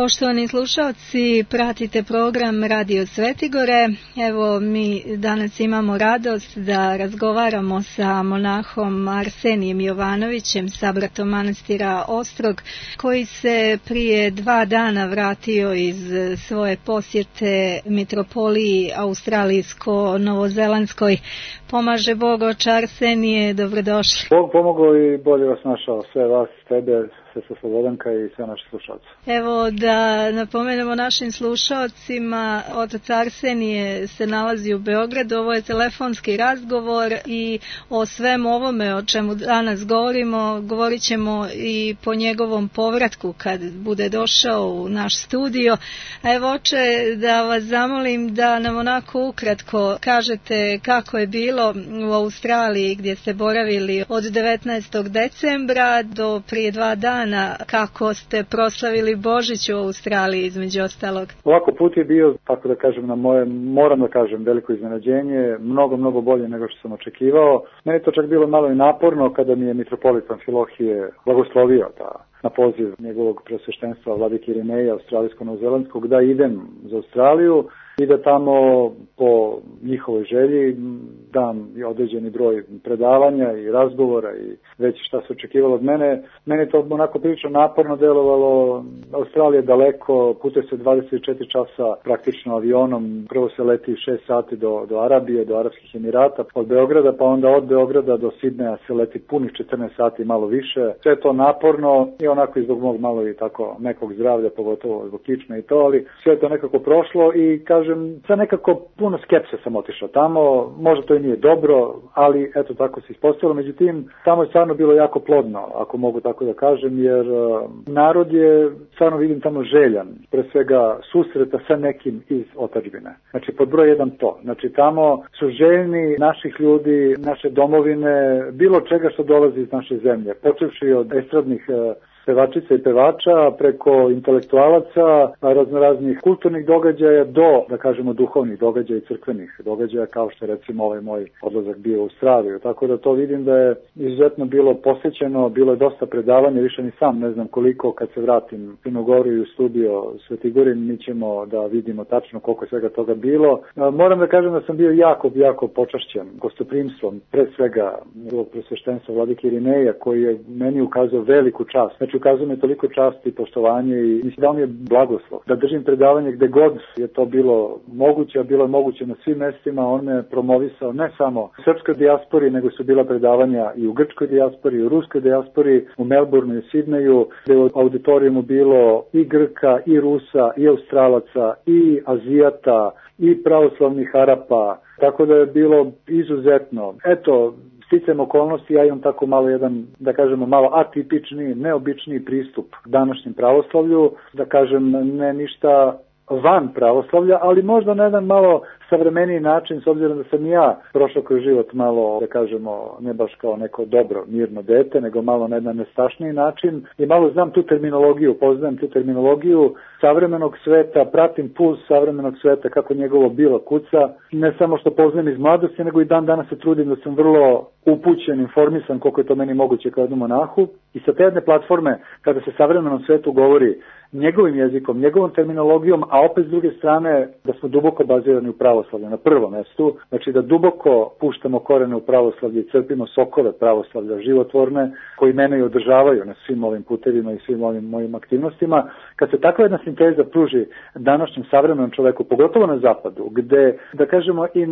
Poštovani slušalci, pratite program Radio Svetigore. Evo, mi danas imamo radost da razgovaramo sa monahom Arsenijem Jovanovićem, sabratom manastira Ostrog, koji se prije 2 dana vratio iz svoje posjete mitropoliji australijsko-novozelandskoj. Pomaže Bog, oče Arsenije, dobrodošli. Bog pomogao i bolje vas našao, sve vas, tebe, sve sa Slobodanka i sve naše slušalce. Evo da napomenemo našim slušalcima, otac Arsenije se nalazi u Beogradu, ovo je telefonski razgovor i o svemu ovome o čemu danas govorit ćemo i po njegovom povratku kad bude došao u naš studio. Evo, oče, da vas zamolim da nam onako ukratko kažete kako je bilo u Australiji gdje ste boravili od 19. decembra do prije 2 dana, kako ste proslavili Božić u Australiji između ostalog. Ovako put je bio, tako da kažem, na moje, moram da kažem, veliko iznenađenje, mnogo bolje nego što sam očekivao. Meni je to čak bilo malo i naporno kada mi je mitropolitan Amfilohije blagoslovio na poziv njegovog preosveštenstva vladike Irineja, australijsko-novozelandskog, da idem za Australiju i da tamo po njihovoj želji dam određeni broj predavanja i razgovora i već šta se očekivalo od mene. Meni to onako prilično naporno delovalo. Australija je daleko, putuje se 24 časa praktično avionom. Prvo se leti 6 sati do Arabije, do Arapskih Emirata od Beograda, pa onda od Beograda do Sidneja se leti punih 14 sati, malo više. Sve to naporno i onako i zbog mog malo i tako nekog zdravlja, pogotovo zbog kičme i to, ali sve to nekako prošlo i kažem, sa nekako puno skepse sam otišao tamo, možda to i nije dobro, ali eto tako se ispostavilo. Međutim, tamo je stvarno bilo jako plodno, ako mogu tako da kažem, jer narod je, stvarno vidim tamo željan, pre svega susreta sa nekim iz otadžbine. Znači, pod broj 1 to. Znači, tamo su željni naših ljudi, naše domovine, bilo čega što dolazi iz naše zemlje, počevši od estradnih pevačica i pevača, preko intelektualaca, raznoraznih kulturnih događaja do, da kažemo, duhovnih događaja i crkvenih događaja, kao što je recimo ovaj moj odlazak bio u Australiju. Tako da to vidim da je izuzetno bilo posvećeno, bilo je dosta predavanja, više ni sam ne znam koliko, kad se vratim u Crnu Goru i u studio Svetigorin, mi ćemo da vidimo tačno koliko je svega toga bilo. Moram da kažem da sam bio jako počašćen gostoprimstvom, pre svega njegovog preosveštenstva vladike Irineja, koji je meni ukazao veliku čast. Znači, ukazuje mi toliko časti i poštovanje i mislim da on je blagoslov. Da držim predavanje gde god je to bilo moguće, a bilo je moguće na svim mestima. On me promovisao ne samo u srpskoj dijaspori, nego su bila predavanja i u grčkoj dijaspori, i u ruskoj dijaspori, u Melbourneu i u Sidneju, gde u auditorijumu bilo i Grka, i Rusa, i Australaca, i Azijata, i pravoslavnih Arapa. Tako da je bilo izuzetno. Eto, sticajem okolnosti, ja imam tako malo jedan, da kažemo, malo atipični, neobičniji pristup današnjem pravoslavlju, da kažem, ne ništa van pravoslavlja, ali možda na jedan malo savremeniji način, s obzirom da sam ja prošao kroz život malo, da kažemo, ne baš kao neko dobro, mirno dete, nego malo na jedan nestašniji način i malo znam tu terminologiju, poznajem tu terminologiju savremenog sveta, pratim puls savremenog sveta, kako njegovo bilo kuca, ne samo što poznajem iz mladosti, nego i dan danas se trudim da sam vrlo upućen, informisan, koliko je to meni moguće kao jednom monahu. I sa te jedne platforme, kada se savremenom svetu govori njegovim jezikom, njegovom terminologijom, a opet s druge strane da smo duboko bazirani u pravoslavlju na prvom mestu, znači da duboko puštamo korene u pravoslavlje i crpimo sokove pravoslavlja životvorne koji mene i održavaju na svim ovim putevima i svim ovim mojim aktivnostima. Kad se takva jedna sinteza pruži današnjem savremenom čoveku, pogotovo na zapadu, gde, da kažemo, i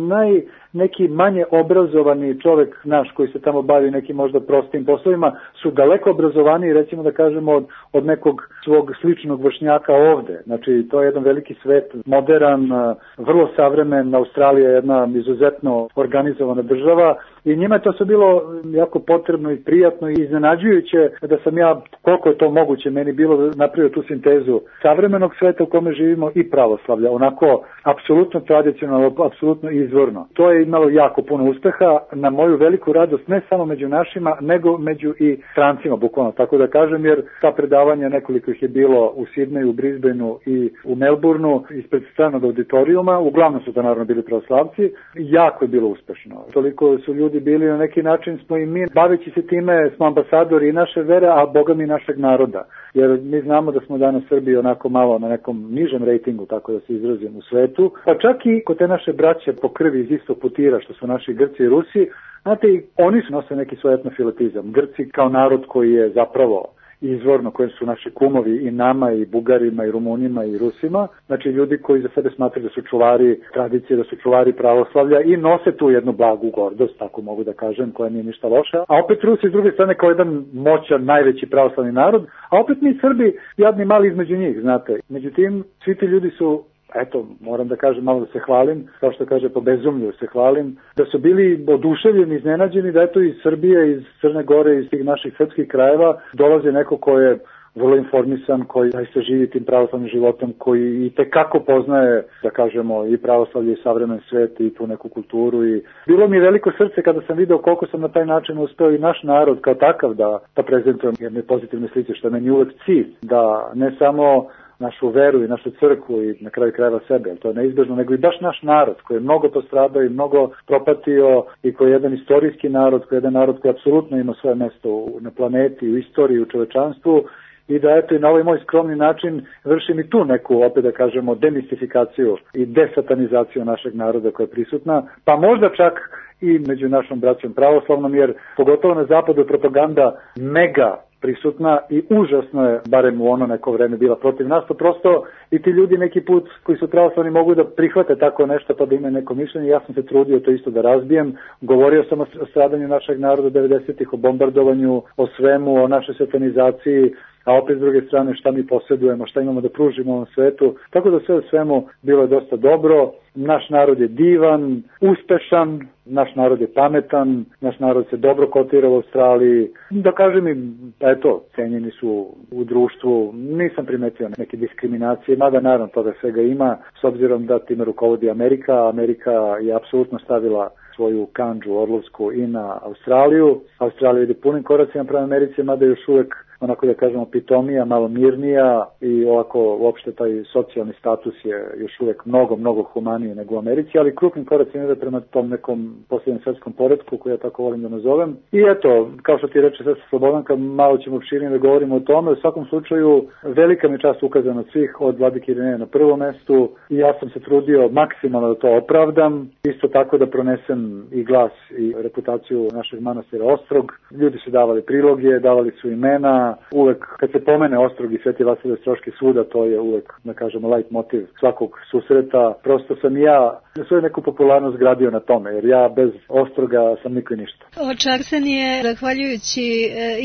neki manje obrazovani čovek naš koji se tamo bavi nekim možda prostim poslovima su daleko obrazovaniji, recimo da kažemo, od nekog svog sličnog vršnjaka ovde. Znači, to je jedan veliki svet, modern, vrlo savremen. Australija je jedna izuzetno organizovana država i njima je to sve bilo jako potrebno i prijatno i iznenađujuće da sam ja, koliko je to moguće, meni bilo napravio tu sintezu savremenog sveta u kome živimo i pravoslavlja, onako apsolutno tradicionalno, apsolutno izvorno. To je imalo jako puno uspeha, na moju veliku radost, ne samo među našima, nego među i strancima, bukvalno tako da kažem, jer ta predavanja, nekoliko ih je bilo u Sidneju, u Brisbaneu i u Melbourneu, ispred stranog auditorijuma, uglavnom su to naravno bili pravoslavci, jako je bilo uspešno. Toliko su ljudi ljudi bili, na neki način smo i mi, baveći se time, smo ambasadori i naše vere, a Boga mi našeg naroda. Jer mi znamo da smo danas Srbiji onako malo na nekom nižem rejtingu, tako da se izrazim, u svetu. Pa čak i kod te naše braće po krvi iz istog putira, što su naši Grci i Rusi, znate, oni su nose neki svoj etnofilotizam. Grci kao narod koji je zapravo izvorno, koji su naši kumovi i nama, i Bugarima, i Rumunima, i Rusima. Znači ljudi koji za sebe smatraju da su čuvari tradicije, da su čuvari pravoslavlja i nose tu jednu blagu gordost, tako mogu da kažem, koja nije ništa loša. A opet Rusi s druge strane kao jedan moćan, najveći pravoslavni narod, a opet mi Srbi jadni mali između njih, znate. Međutim, svi ti ljudi su, eto, moram da kažem, malo da se hvalim, kao što kaže po bezumlju se hvalim, da su bili oduševljeni, iznenađeni da eto iz Srbije, iz Crne Gore, iz tih naših srpskih krajeva dolazi neko ko je vrlo informisan, koji zaista živi tim pravoslavnim životom, koji i tekako poznaje, da kažemo, i pravoslavlje i savremen svet i tu neku kulturu. I bilo mi je veliko srce kada sam video koliko sam na taj način uspeo i naš narod kao takav da prezentujem jedne pozitivne slice, što je meni uvek cilj, da ne samo našu veru i našu crkvu i na kraju krajeva sebe, to je neizbežno, nego i baš naš narod koji je mnogo postradao i mnogo propatio i koji je jedan istorijski narod, koji je jedan narod koji apsolutno ima svoje mesto na planeti, u istoriji, u čovečanstvu i da eto i na ovaj moj skromni način vršim i tu neku, opet da kažemo, demistifikaciju i desatanizaciju našeg naroda koja je prisutna, pa možda čak i među našom braćom pravoslavnom, jer pogotovo na zapadu je propaganda mega prisutna i užasno je, barem u ono neko vreme, bila protiv nas, to prosto i ti ljudi neki put koji su pravoslavni mogu da prihvate tako nešto pa da imaju neko mišljenje. Ja sam se trudio to isto da razbijem, govorio sam o stradanju našeg naroda 90-ih, o bombardovanju, o svemu, o našoj satanizaciji, a opet s druge strane šta mi posjedujemo, šta imamo da pružimo u ovom svetu. Tako da sve u svemu bilo je dosta dobro. Naš narod je divan, uspešan, naš narod je pametan, naš narod se dobro kotira u Australiji. Da kažem im, eto, cenjeni su u društvu, nisam primetio neke diskriminacije, mada naravno toga svega ima, s obzirom da time rukovodi Amerika. Amerika je apsolutno stavila svoju kandžu orlovsku i na Australiju. Australija ide punim koracima prema Americi, mada još uvek onako da kažemo pitomija, malo mirnija i ovako uopšte taj socijalni status je još uvek mnogo humaniji nego u Americi, ali krupnim koracima ide prema tom nekom posljednjem svetskom poretku koji ja tako volim da nazovem. I eto, kao što ti reče Sestra Slobodanka, malo ćemo opširnije da govorimo o tome. U svakom slučaju, velika mi čast ukazana od svih, od Vladike Irineja na prvom mestu i ja sam se trudio maksimalno da to opravdam, isto tako da pronesem i glas i reputaciju našeg manastira Ostrog. Ljudi su davali priloge, davali su imena. Uvek kad se pomene Ostrog i Sveti Vasilije Ostroški svuda, to je uvek, da kažemo, light motiv svakog susreta. Prosto sam ja svoju neku popularnost gradio na tome, jer ja bez Ostroga sam niko i ništa. Oče Arsenije, zahvaljujući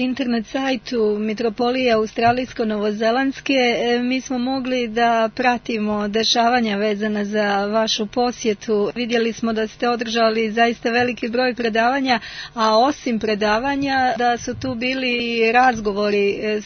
internet sajtu Mitropolije Australijsko-Novozelandske, mi smo mogli da pratimo dešavanja vezana za vašu posjetu. Vidjeli smo da ste održali zaista veliki broj predavanja, a osim predavanja da su tu bili i razgovori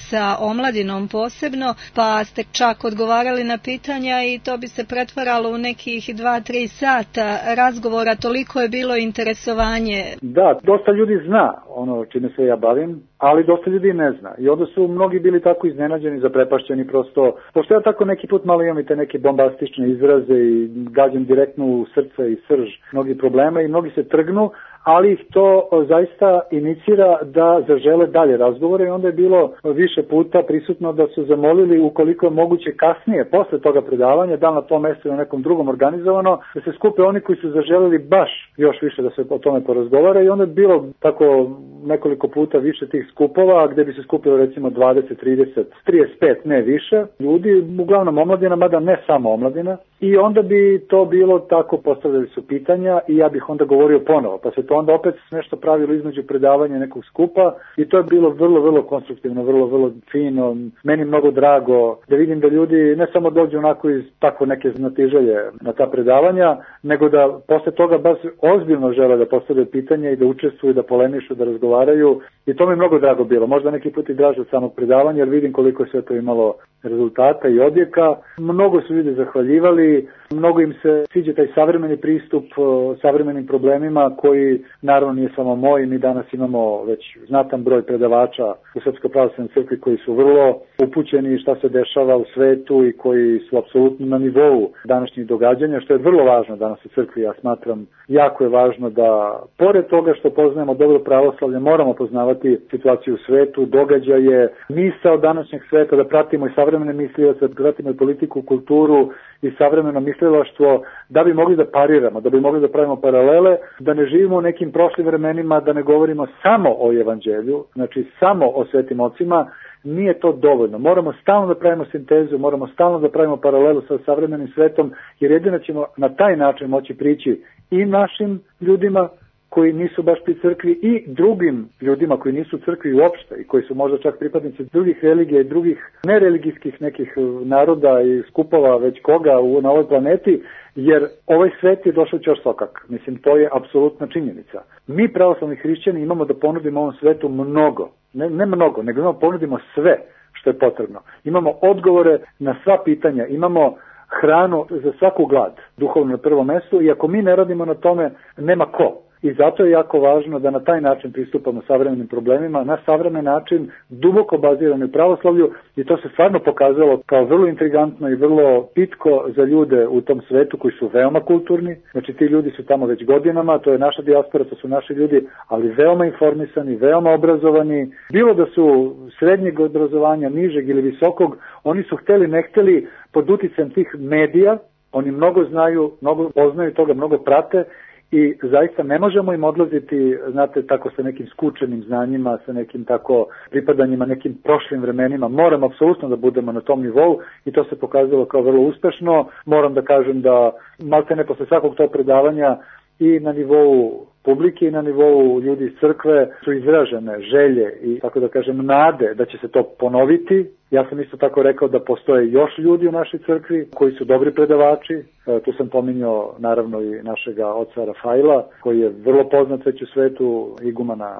sa omladinom posebno, pa ste čak odgovarali na pitanja i to bi se pretvaralo u nekih 2-3 sata razgovora, toliko je bilo interesovanje. Da, dosta ljudi zna ono čime se ja bavim, ali dosta ljudi ne zna. I onda su mnogi bili tako iznenađeni, zaprepašćeni prosto. Pošto ja tako neki put malo imam i te neke bombastične izraze i gađam direktno u srce i srž mnogi problema i mnogi se trgnu, ali ih to zaista inicira da zažele dalje razgovore i onda je bilo više puta prisutno da su zamolili ukoliko je moguće kasnije, posle toga predavanja, da na tom mjestu na nekom drugom organizovano, da se skupe oni koji su zaželeli baš još više da se o tome porazgovara i onda je bilo tako nekoliko puta više tih skupova gde bi se skupilo recimo 20, 30, 35, ne više ljudi, uglavnom omladina, mada ne samo omladina, i onda bi to bilo tako, postavljali su pitanja i ja bih onda govorio ponovo, pa se to onda opet nešto pravilo između predavanja nekog skupa i to je bilo vrlo konstruktivno, vrlo fino, meni mnogo drago da vidim da ljudi ne samo dođu onako iz tako neke znatiželje na ta predavanja, nego da posle toga baš ozbiljno žele da postavljaju pitanja i da učestvuju, da polemišu, da razgovaraju i to mi je mnogo drago bilo, možda neki put i draže od samog predavanja jer vidim koliko je sve to imalo rezultata i odjeka. Mnogo su ljudi zahvaljivali, Mnogo im se sviđa taj savremeni pristup savremenim problemima koji naravno nije samo moj. Mi danas imamo već znatan broj predavača u Srpskoj pravoslavnoj crkvi koji su vrlo upućeni šta se dešava u svetu i koji su apsolutno na nivou današnjih događanja, što je vrlo važno danas u crkvi. Ja smatram, jako je važno da pored toga što poznajemo dobro pravoslavlje, moramo poznavati situaciju u svetu, događaje, misao današnjeg sveta, da pratimo i savremene mislioce, da pratimo i politiku, kulturu i savremeno mislilaštvo, da bi mogli da pariramo, da bi mogli da pravimo paralele, da ne živimo u nekim prošlim vremenima, da ne govorimo samo o evanđelju, znači samo o svetim ocima. Nije to dovoljno. Moramo stalno da pravimo sintezu, moramo stalno da pravimo paralelu sa savremenim svetom, jer jedino ćemo na taj način moći prići i našim ljudima koji nisu baš pri crkvi i drugim ljudima koji nisu u crkvi uopšte i koji su možda čak pripadnici drugih religija i drugih nereligijskih nekih naroda i skupova već koga na ovoj planeti, jer ovaj svet je došao ćorsokak. Mislim, to je apsolutna činjenica. Mi pravoslavni hrišćani imamo da ponudimo ovom svetu mnogo. Ne mnogo, nego imamo ponudimo sve što je potrebno. Imamo odgovore na sva pitanja, imamo hranu za svaku glad, duhovno na prvom mestu, i ako mi ne radimo na tome, nema ko. I zato je jako važno da na taj način pristupamo savremenim problemima, na savremen način, duboko bazirano u pravoslavlju, i to se stvarno pokazalo kao vrlo intrigantno i vrlo pitko za ljude u tom svetu koji su veoma kulturni. Znači ti ljudi su tamo već godinama, to je naša dijaspora, to su naši ljudi, ali veoma informisani, veoma obrazovani. Bilo da su srednjeg obrazovanja, nižeg ili visokog, oni su hteli, ne hteli, pod uticajem tih medija, oni mnogo znaju, mnogo poznaju toga, mnogo prate, i zaista ne možemo im odlaziti, znate, tako sa nekim skučenim znanjima, sa nekim tako pripadanjima nekim prošlim vremenima. Moramo apsolutno da budemo na tom nivou i to se pokazalo kao vrlo uspešno. Moram da kažem da maltene posle svakog tog predavanja i na nivou publike i na nivou ljudi iz crkve su izražene želje i, tako da kažem, nade da će se to ponoviti. Ja sam isto tako rekao da postoje još ljudi u našoj crkvi koji su dobri predavači. Tu sam pominjao naravno i našega oca Rafaila, koji je vrlo poznat već u svetu, igumana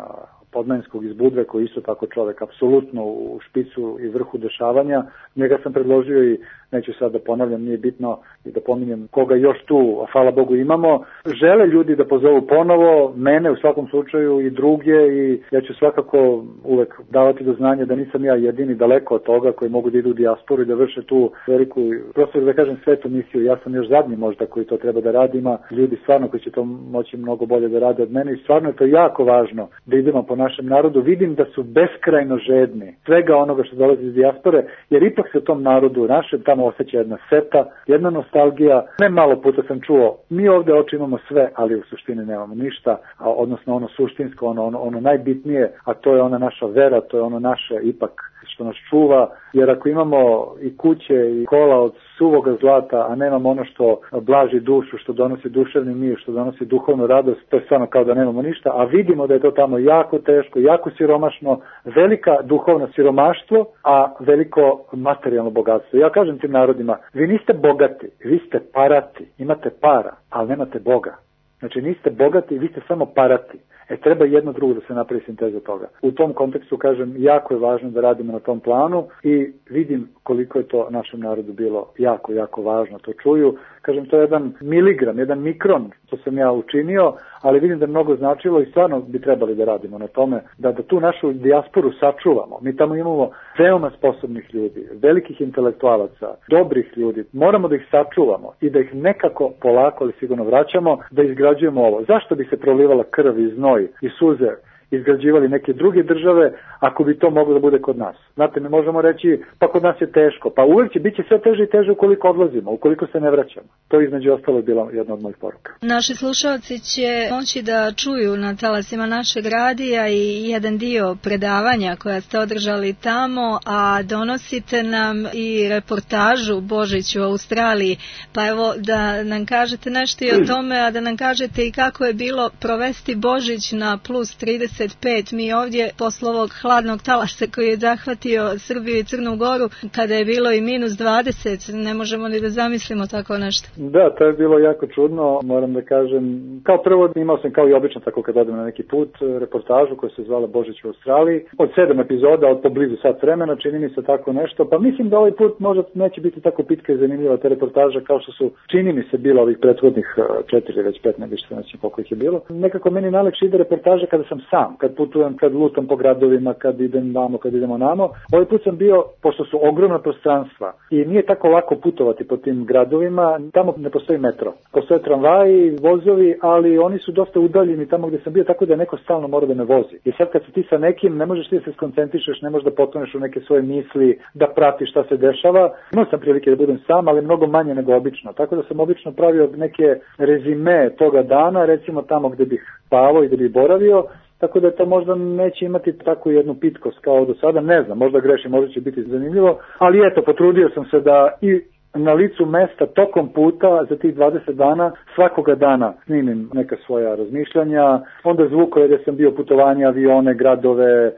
Podmanjskog iz Budve, koji isto tako čovek apsolutno u špicu i vrhu dešavanja. Njega sam predložio i neću sad da ponavljam, nije bitno i da pominjem koga još tu, a hvala Bogu imamo. Žele ljudi da pozovu ponovo, mene u svakom slučaju i druge, i ja ću svakako uvek davati do znanja da nisam ja jedini, daleko od toga, koji mogu da idu u dijasporu i da vrše tu veliku, prosto da kažem, svetu misiju. Ja sam još zadnji možda koji to treba da radi, ima ljudi stvarno koji će to moći mnogo bolje da rade od mene i stvarno je to jako važno da idemo po našem narodu. Vidim da su beskrajno žedni svega onoga što dolazi iz dijaspore, jer ipak se u tom narodu našem tamo osjeća jedna seta, jedna nostalgija. Ne malo puta sam čuo, mi ovde oči imamo sve, ali u suštini nemamo ništa, a odnosno ono suštinsko, ono najbitnije, a to je ona naša vera, to je ono naše ipak što nas čuva, jer ako imamo i kuće i kola od suvoga zlata, a nemamo ono što blaži dušu, što donosi duševni mir, što donosi duhovnu radost, to je stvarno kao da nemamo ništa, a vidimo da je to tamo jako teško, jako siromašno, velika duhovno siromaštvo, a veliko materijalno bogatstvo. Ja kažem tim narodima, vi niste bogati, vi ste parati, imate para, ali nemate Boga. Znači niste bogati, vi ste samo parati. Treba jedno drugo da se napravi sinteza toga. U tom kontekstu, kažem, jako je važno da radimo na tom planu i vidim koliko je to našem narodu bilo jako, jako važno. To čuju, kažem, to je jedan miligram, jedan mikron, to sam ja učinio, ali vidim da je mnogo značilo i stvarno bi trebali da radimo na tome, da tu našu dijasporu sačuvamo. Mi tamo imamo veoma sposobnih ljudi, velikih intelektualaca, dobrih ljudi. Moramo da ih sačuvamo i da ih nekako polako, ali sigurno vraćamo, da izgrađujemo ovo. Zašto bi se prolivala krv i znoj i suze izgrađivali neke druge države ako bi to moglo da bude kod nas? Znate, mi možemo reći, pa kod nas je teško, pa uvijek će biti sve teže i teže ukoliko odlazimo, ukoliko se ne vraćamo. To između ostalo je bila jedna od mojih poruka. Naši slušalci će moći da čuju na talasima našeg radija i jedan dio predavanja koja ste održali tamo, a donosite nam i reportažu Božić u Australiji, pa evo da nam kažete nešto i o tome, a da nam kažete i kako je bilo provesti Božić na plus 30 35, mi ovdje posle ovog hladnog talasa koji je zahvatio Srbiju i Crnu Goru, kada je bilo i minus 20, ne možemo ni da zamislimo tako nešto. Da, to je bilo jako čudno, moram da kažem. Kao prvo imao sam kao i obično tako kad odem na neki put reportažu koja se zvala Božić u Australiji. Od 7 epizoda, od poblizu sat vremena, čini mi se tako nešto. Pa mislim da ovaj put možda neće biti tako pitka i zanimljiva ta reportaža kao što su, čini mi se, bilo ovih prethodnih 4 već 5, ne više se nećem koliko ih je bilo. Nekako meni najlakše ide reportaža kada sam sam, kad putujem, kad lutam po gradovima, kad idem vamo, kad idemo namo. Ovaj put sam bio, pošto su ogromna prostranstva i nije tako lako putovati po tim gradovima, tamo ne postoji metro. Postoje tramvaji, vozovi, ali oni su dosta udaljeni tamo gdje sam bio, tako da neko stalno mora da me vozi. I sad kad si ti sa nekim, ne možeš ti da se skoncentrišeš, ne možeš da potoneš u neke svoje misli, da pratiš šta se dešava. Imao sam prilike da budem sam, ali mnogo manje nego obično. Tako da sam obično pravio neke rezime toga dana, recimo tamo gdje bih spavao i gdje bih boravio, tako da to možda neće imati takvu jednu pitkost kao do sada, ne znam, možda grešim, možda će biti zanimljivo, ali eto, potrudio sam se da i na licu mesta tokom puta za tih 20 dana, svakoga dana snimim neka svoja razmišljanja, onda zvukove gdje sam bio, putovanja, avione, gradove,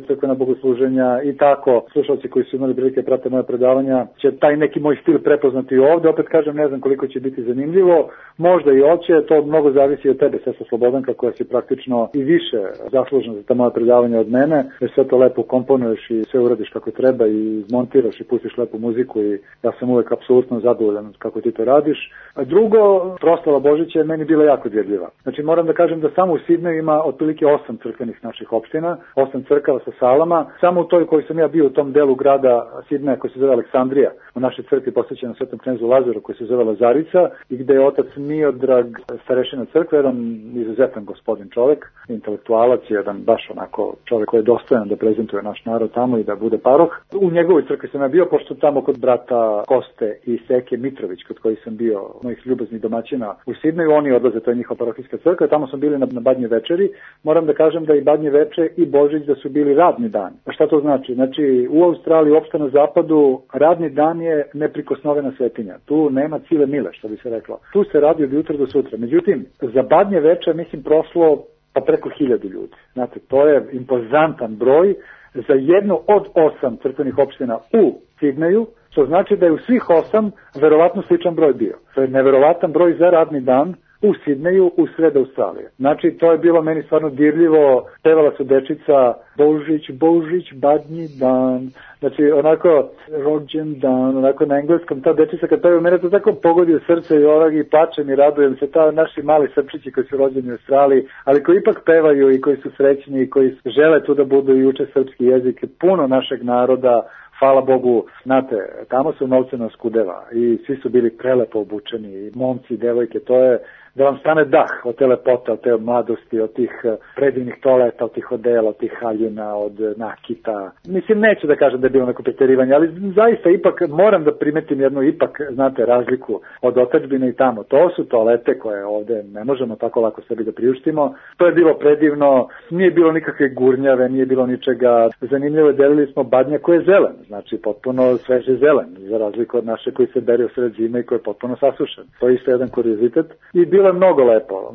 crkvena bogosluženja i tako. Slušalci koji su imali prilike prate moje predavanja će taj neki moj stil prepoznati ovdje. Opet kažem, ne znam koliko će biti zanimljivo, možda i hoće, to mnogo zavisi od tebe, Sestra Slobodanka, koja si praktično i više zaslužna za ta moja predavanja od mene, jer sve to lepo komponuješ i sve uradiš kako treba i montiraš i pustiš lepu muziku i ja sam uvek apsolutno zadovoljan kako ti to radiš. A drugo, proslava Božića je meni bila jako dirljiva. Znači moram da kažem da samo u Sidneju ima otprilike 8 crkvenih naših opština, 8 crkava sa salama. Samo u toj koji sam ja bio u tom delu grada Sidneja koji se zove Aleksandrija, u našoj crkvi posvećena Svetom knezu Lazaru koji se zove Lazarica i gde je otac Miodrag, starešina crkve, jedan izuzetan gospodin čovek, intelektualac, jedan baš onako čovek koji je dostojan da prezentuje naš narod tamo i da bude paroh. U njegovoj crkvi sam ja bio, pošto tamo kod brata Koste i Seke Mitrović, kod kojih sam bio, mojih ljubaznih domaćina u Sidneju, oni odlaze, to je njihova parohijska crkva, tamo smo bili na Badnje večeri. Moram da kažem da i Badnje veče i Božić da su bili radni dan. A šta to znači? Znači, u Australiji, uopšte na zapadu, radni dan je neprikosnovena svetinja. Tu nema cile mile, što bi se reklo. Tu se radi od jutra do sutra. Međutim, za Badnje veče, mislim, prošlo pa preko 1000 ljudi. Znate, to je impozantan broj za jednu od 8 crkvenih opština u Sidneju, što znači da je u svih 8 verovatno sličan broj bio. To je neverovatan broj za radni dan u Sidneju, u sred Australije. Znači, to je bilo meni stvarno dirljivo. Pevala su dečica Božić, Božić, badnji dan. Znači, onako, rođen dan, onako na engleskom, ta dečica kad pevaju, mene to tako pogodi u srce i ovak i plačem i radujem se, ta naši mali srpčići koji su rođeni u Australiji, ali koji ipak pevaju i koji su srećni i koji žele tu da budu i uče srpski jezik, puno našeg naroda. Hvala Bogu, znate, tamo su novceno skudeva i svi su bili prelepo obučeni, i momci i devojke, to je da vam stane dah od te lepote, od te mladosti, od tih predivnih toaleta, od tih odela, od tih haljina, od nakita. Mislim, neću da kažem da je bilo neko preterivanje, ali zaista ipak moram da primetim jednu ipak, znate, razliku od otadžbine i tamo. To su toalete koje ovde ne možemo tako lako sebi da priuštimo. To je bilo predivno, nije bilo nikakve gurnjave, nije bilo ničega. Zanimljivo je, delili smo badnje koje je zelen, znači potpuno sveže zelen, za razliku od naše koji se bere u sred zime i koji je potpuno sasušen. To je isto jedan kuriozitet i bilo je mnogo lepo.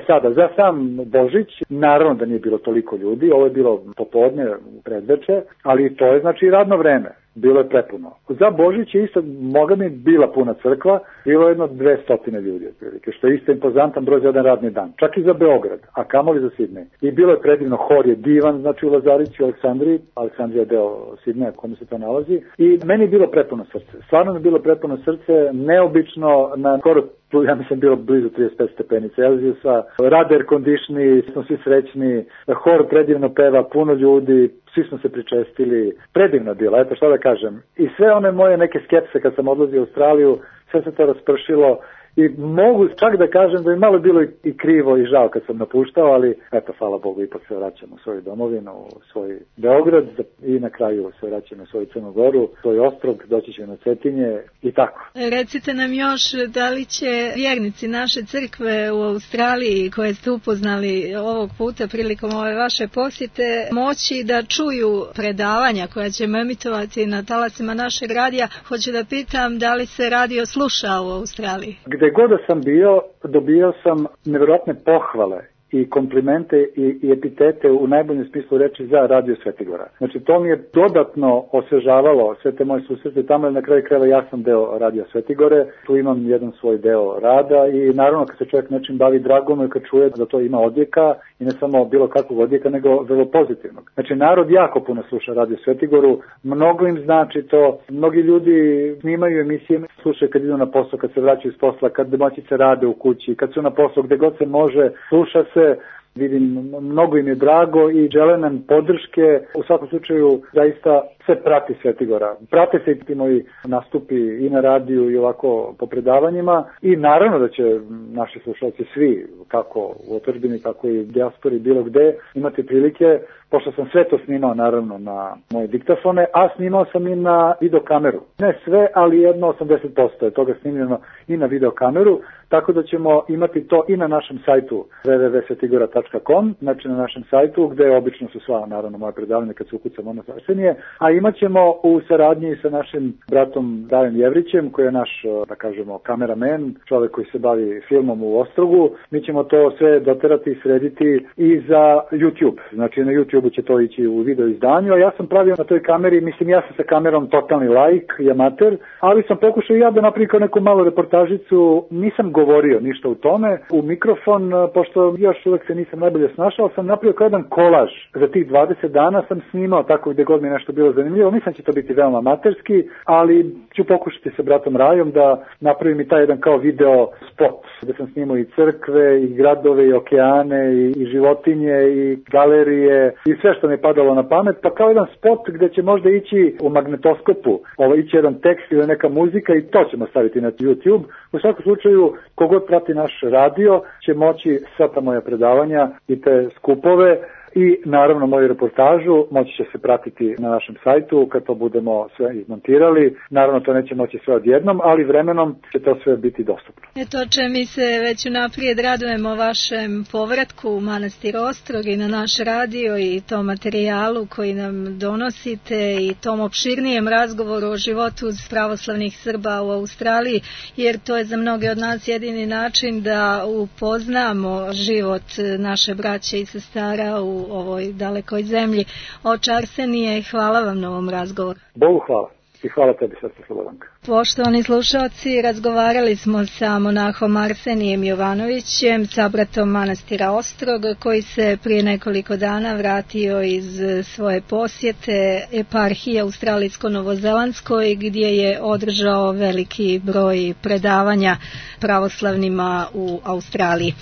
Sada, za sam Božić, naravno da nije bilo toliko ljudi, ovo je bilo popodne, predveče, ali to je znači radno vreme. Bilo je prepuno. Za Božić je isto, moga mi bila puna crkva, bilo je jedno 200 ljudi otprilike, što je isto impozantan broj za jedan radni dan. Čak i za Beograd, a kamoli za Sidnej. I bilo je predivno, hor je divan, znači u Lazarici, u Aleksandriji, Aleksandrija je deo Sidneja, kome se to nalazi. I meni je bilo prepuno srce. Stvarno mi je bilo prepuno srce, neobično, na skoro, ja mislim, bilo blizu 35 stepenica Celzijusa, rad air conditioni, smo svi srećni, hor predivno peva, puno ljudi, svi smo se pričestili, predivno bilo, eto šta da kažem. I sve one moje neke skepse kad sam odlazio u Australiju, sve se to raspršilo i mogu čak da kažem da je malo bilo i krivo i žao kad sam napuštao, ali eto, hvala Bogu, ipak se vraćamo u svoju domovinu, u svoj Beograd i na kraju se vraćamo u svoju Crnu Goru, svoj ostrog, doći će na Cetinje i tako. Recite nam još, da li će vjernici naše crkve u Australiji koje ste upoznali ovog puta prilikom ove vaše posjete moći da čuju predavanja koja ćemo emitovati na talasima našeg radija? Hoću da pitam da li se radio sluša u Australiji? Gde god da sam bio, dobio sam nevjerojatne pohvale i komplimente i epitete u najboljem smislu reči za Radio Svetigora. Znači to mi je dodatno osvežavalo sve te moje susrete tamo, jer na kraju krajeva ja sam deo Radio Svetigore, tu imam jedan svoj deo rada i naravno kad se čovjek nečim bavi, drago mu je kad čuje da to ima odjeka i ne samo bilo kakvog odjeka, nego vrlo pozitivnog. Znači narod jako puno sluša Radio Svetigoru, mnogo im znači to, mnogi ljudi snimaju emisije, slušaju kad idu na posao, kad se vraćaju iz posla, kad domaćice rade u kući, kad su na poslu, gde god se može, sluša se. Vidim, mnogo im je drago i žele nam podrške. U svakom slučaju, zaista se prati Svetigora. Prate se i ti moji nastupi i na radiju i ovako po predavanjima i naravno da će naši slušalci svi, kako u otadžbini, tako i u dijaspori, bilo gde, imati prilike, pošto sam sve to snimao naravno na moje diktafone, a snimao sam i na videokameru. Ne sve, ali jedno 80% je toga snimljeno i na videokameru, tako da ćemo imati to i na našem sajtu www.svetigora.com, znači na našem sajtu gde obično su sva naravno moje predavanja kad se ukucamo na Arsenije, a imat ćemo u saradnji sa našim bratom Dajem Jevrićem, koji je naš, da kažemo, kameramen, čovjek koji se bavi filmom u Ostrogu. Mi ćemo to sve doterati i srediti i za YouTube. Znači na YouTube će to ići u video izdanju, a ja sam pravio na toj kameri, mislim ja sam sa kamerom totalni laik i amater, ali sam pokušao ja da napravim kao neku malu reportažicu, nisam govorio ništa u tome, u mikrofon, pošto još uvek se nisam najbolje snašao, sam napravio kao jedan kolaž. Za tih 20 dana sam snimao tako gde god mi nešto bilo zanimljivo, mislim će to biti veoma amaterski, ali ću pokušati sa bratom Rajom da napravim i taj jedan kao video spot, gde sam snimao i crkve, i gradove, i okeane, i životinje, i galerije, i sve što mi je padalo na pamet, pa kao jedan spot gde će možda ići u magnetoskopu, ići jedan tekst ili neka muzika i to ćemo staviti na YouTube. U svakom slučaju, kogod prati naš radio će moći sva ta moja predavanja i te skupove i naravno moju reportažu moći će se pratiti na našem sajtu kad to budemo sve izmontirali. Naravno to neće moći sve odjednom, ali vremenom će to sve biti dostupno. Eto, mi se već unaprijed radujemo vašem povratku u Manastir Ostrog i na naš radio i tom materijalu koji nam donosite i tom opširnijem razgovoru o životu pravoslavnih Srba u Australiji, jer to je za mnoge od nas jedini način da upoznamo život naše braće i sestara u ovoj dalekoj zemlji. Oče Arsenije, hvala vam na ovom razgovoru. Bogu hvala i hvala tebi, sestra Slobodanka. Poštovani slušalci, razgovarali smo sa monahom Arsenijem Jovanovićem, sabratom manastira Ostrog, koji se prije nekoliko dana vratio iz svoje posjete eparhije Australijsko-Novozelandskoj, gdje je održao veliki broj predavanja pravoslavnima u Australiji.